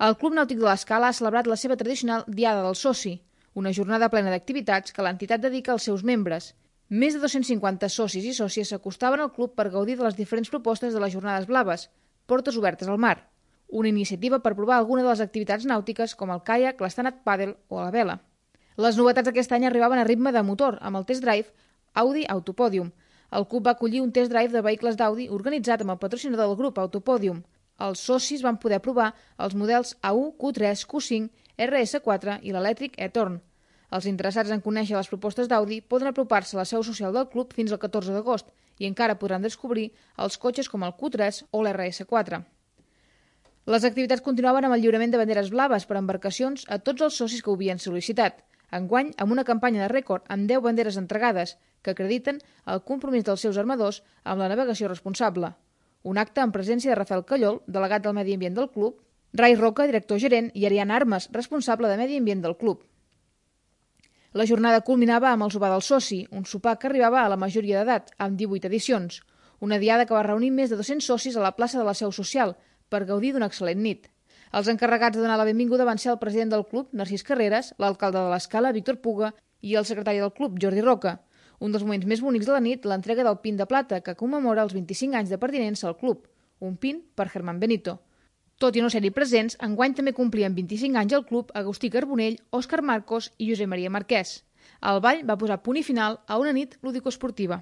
El Club Nàutic de l'Escala ha celebrat la seva tradicional Diada del Soci, una jornada plena d'activitats que l'entitat dedica als seus membres. Més de 250 socis i sòcies s'acostaven al club per gaudir de les diferents propostes de les Jornades Blaves, portes obertes al mar, una iniciativa per provar alguna de les activitats nàutiques com el caiac, l'stand-up paddle o la vela. Les novetats d'aquest any arribaven a ritme de motor, amb el test drive Audi Autopodium. El club va acollir un test drive de vehicles d'Audi organitzat amb el patrocinador del grup Autopodium. Els socis van poder provar els models A1, Q3, Q5, RS4 i l'elèctric e-Torn. Els interessats en conèixer les propostes d'Audi poden apropar-se a la seu social del club fins al 14 d'agost i encara podran descobrir els cotxes com el Q3 o l'RS4. Les activitats continuaven amb el lliurament de banderes blaves per embarcacions a tots els socis que ho havien sol·licitat, enguany amb una campanya de rècord amb 10 banderes entregades que acrediten el compromís dels seus armadors amb la navegació responsable. Un acte en presència de Rafael Callol, delegat del Medi Ambient del club, Rai Roca, director gerent, i Ariana Armes, responsable de Medi Ambient del club. La jornada culminava amb el sopar del soci, un sopar que arribava a la majoria d'edat, amb 18 edicions. Una diada que va reunir més de 200 socis a la plaça de la Seu Social per gaudir d'una excel·lent nit. Els encarregats de donar la benvinguda van ser el president del club, Narcís Carreras, l'alcalde de l'Escala, Víctor Puga, i el secretari del club, Jordi Roca. Un dels moments més bonics de la nit, l'entrega del pin de plata, que commemora els 25 anys de pertinença al club. Un pin per Germán Benito. Tot i no ser-hi presents, enguany també complien 25 anys al club Agustí Carbonell, Òscar Marcos i Josep Maria Marquès. El ball va posar punt i final a una nit lúdico-esportiva.